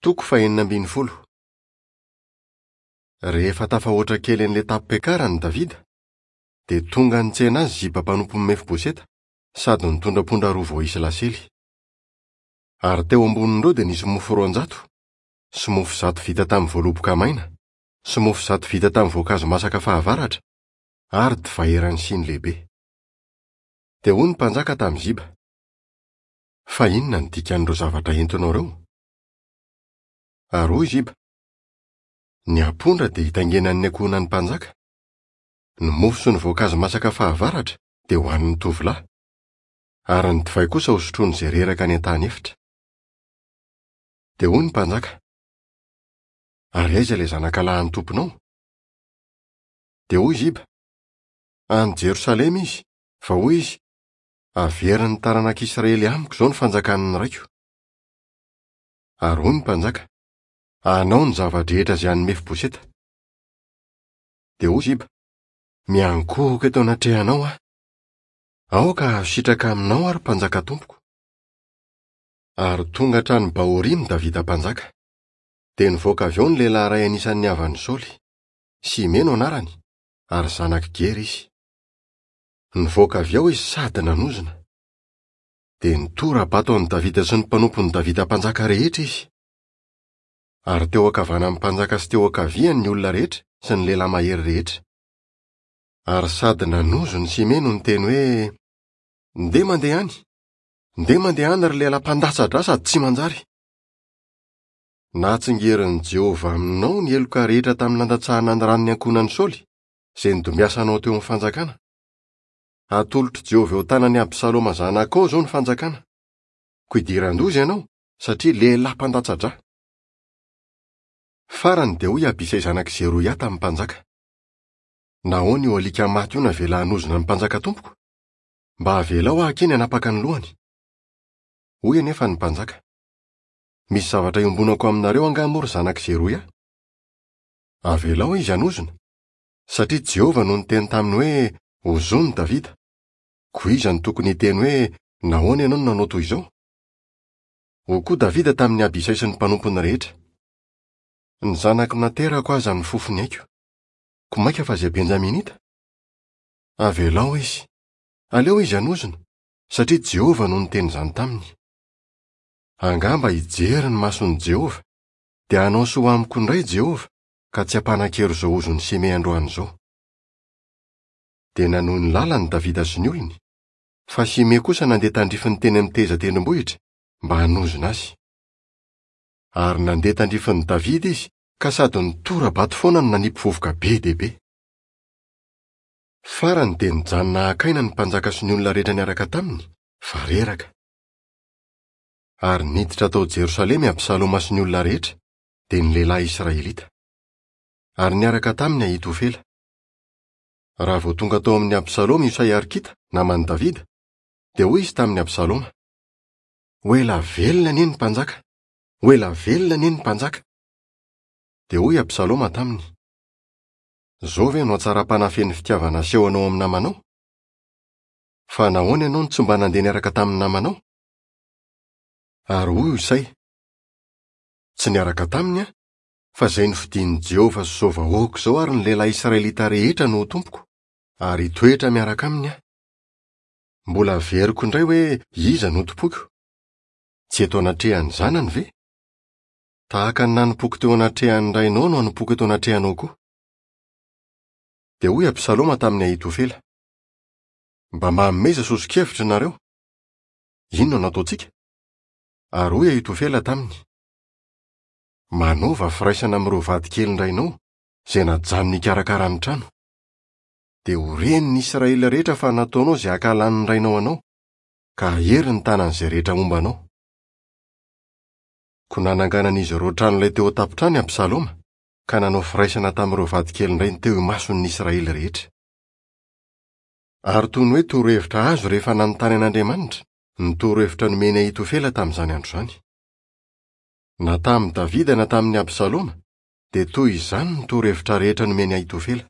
Toko fahenina ambin'ny folo. Rehefa tafahoatra kely an'ilay tapipiakarany Davida, dia tonga nitsena azy Ziba mpanompon'i Mefiboseta sady nitondra ampondra roa voaisy lasely. Ary teo ambonin'ireo dia nisy mofo 200, sy mofo 100 vita tamin'ny voaloboka maina, sy mofo 100 vita tamin'ny voankazo masaka fahavaratra, ary divay eran'ny siny lehibe. Dia hoy ny mpanjaka tamin'i Ziba, Fa inona no dikan'ireo zavatra entinao ireo? Ary hoy Ziba, Ny ampondra dia hitaingenan'ny ankohonan'ny mpanjaka. Ny mofo sy ny voankazo masaka fahavaratra dia ho an'ny tovolahy. Ary ny divay kosa hosotroin'izay reraka any an-tany efitra. Dia hoy ny mpanjaka, Ary aiza ilay zanakalahin'ny tomponao? Dia hoy Ziba, Any Jerosalema izy, fa hoy izy, Averin'ny taranak'Israely amiko izao ny fanjakan'ny raiko. Ary hoy ny mpanjaka, Anao ny zava-drehetra izay an'i Mefiboseta. Dia hoy Ziba, Miankohoka eto anatrehanao aho. Aoka hahazo sitraka aminao aho, ry mpanjaka tompoko. Ary tonga hatrany Bahorima Davida mpanjaka. Dia nivoaka avy ao ny lehilahy iray anisan'ny havan'i Saoly. Simey no anarany, ary zanak'i Gera izy. Nivoaka avy ao izy sady nanozona. Dia nitora-bato an'i Davida sy ny mpanompon'i Davida mpanjaka rehetra izy. Ary teo ankavanan'ny mpanjaka sy teo ankaviany ny olona rehetra sy ny lehilahy mahery rehetra. Ary sady nanozona i Simey no niteny hoe, Ndeha mandeha any! Ndeha mandeha any ry lehilahy mpandatsa-dra sady tsy manjary! Natsingerin'i Jehovah aminao ny heloka rehetra tamin'ny nandatsahana ny ran'ny ankohonan'i Saoly, izay nodimbiasanao teo amin'ny fanjakana. Hatolotr'i Jehovah eo an-tanan'i Absaloma zanakao izao ny fanjakana. Koa idiran-doza ianao, satria lehilahy mpandatsa-dra. Farany dia hoy Abisay zanak'i Zeroia tamin'ny mpanjaka, Nahoana io alika maty io navela hanozona ny mpanjaka tompoko? Mba avelao aho akia ny hanapaka ny lohany. Hoy anefa ny mpanjaka, Misy zavatra iombonako aminareo angaha moa ry zanak'i Zeroia? Avelao izy hanozona, satria Jehovah no niteny taminy hoe, 'Ozòny Davida. Koa iza no tokony hiteny hoe, 'Nahoana ianao no nanao toy izao? Hoy koa Davida tamin'i Abisay sy ny mpanompony rehetra, Ny zanako naterako aza nifofo ny aiko, koa mainka fa izay Benjaminita? Avelao izy, aleo izy hanozona, satria Jehovah no niteny izany taminy. Angamba hijery ny mason'i Jehovah, dia hanao soa amiko indray Jehovah, ka tsy hampanan-kery izao ozon'i Simey androany izao. Dia nanohy ny lalany Davida sy ny olony, fa Simey kosa nandeha tandrifiny teny amin'ny tehezan-tendrombohitra mba hanozona azy. Ary nandeha tandrifin'i Davida izy ka sady nitora-bato foana no nanipy vovoka be dia be. Farany dia nijanona haka aina ny mpanjaka sy ny olona rehetra niaraka taminy, fa reraka. Ary niditra tao Jerosalema i Absaloma sy ny olona rehetra, dia ny lehilahy israelita. Ary niaraka taminy Ahitofela. Raha vao tonga tao amin'i Absaloma i Hosay Arkita, naman'i Davida, dia hoy izy tamin'i Absaloma, Ho ela velona anie ny mpanjaka! Ho ela velona anie ny mpanjaka! Dia hoy Absaloma taminy, Izao ve no hatsaram-panahy feno fitiavana asehonao amin'ny namanao? Fa nahoana ianao no tsy mba nandeha niaraka tamin'ny namanao? Ary hoy Hosay, Tsy niaraka taminy aho, fa izay nofidin'i Jehovah sy izao vahoaka izao ary ny lehilahy israelita rehetra no ho tompoko, ary hitoetra miaraka aminy aho. Mbola averiko indray hoe iza no tompoiko? Tsy eto anatrehan'ny zanany ve? Tahaka ny nanompoako teo anatrehan'ny rainao no hanompoako eto anatrehanao koa. Dia hoy Absaloma tamin'i Ahitofela, Mba manomeza soso-kevitra ianareo. Inona no ataontsika? Ary hoy Ahitofela taminy, Manaova firaisana amin'ireo vadikelin-drainao izay najanony hikarakara ny trano. Dia ho ren'ny Israely rehetra fa nataonao izay hankahalan'ny rainao anao, ka hahery ny tanan'izay rehetra homba anao. Koa nananganan'izy ireo tranolay teo an-tampon-trano i Absaloma, ka nanao firaisana tamin'ireo vadikelin-drainy teo imason'ny Israely rehetra. Ary toy ny hoe torohevitra azo rehefa nanontany an'Andriamanitra, ny torohevitra nomen'i Ahitofela tamin'izany andro izany. Na tamin'i Davida na tamin'i Absaloma, dia toy izany ny torohevitra rehetra nomen'i Ahitofela.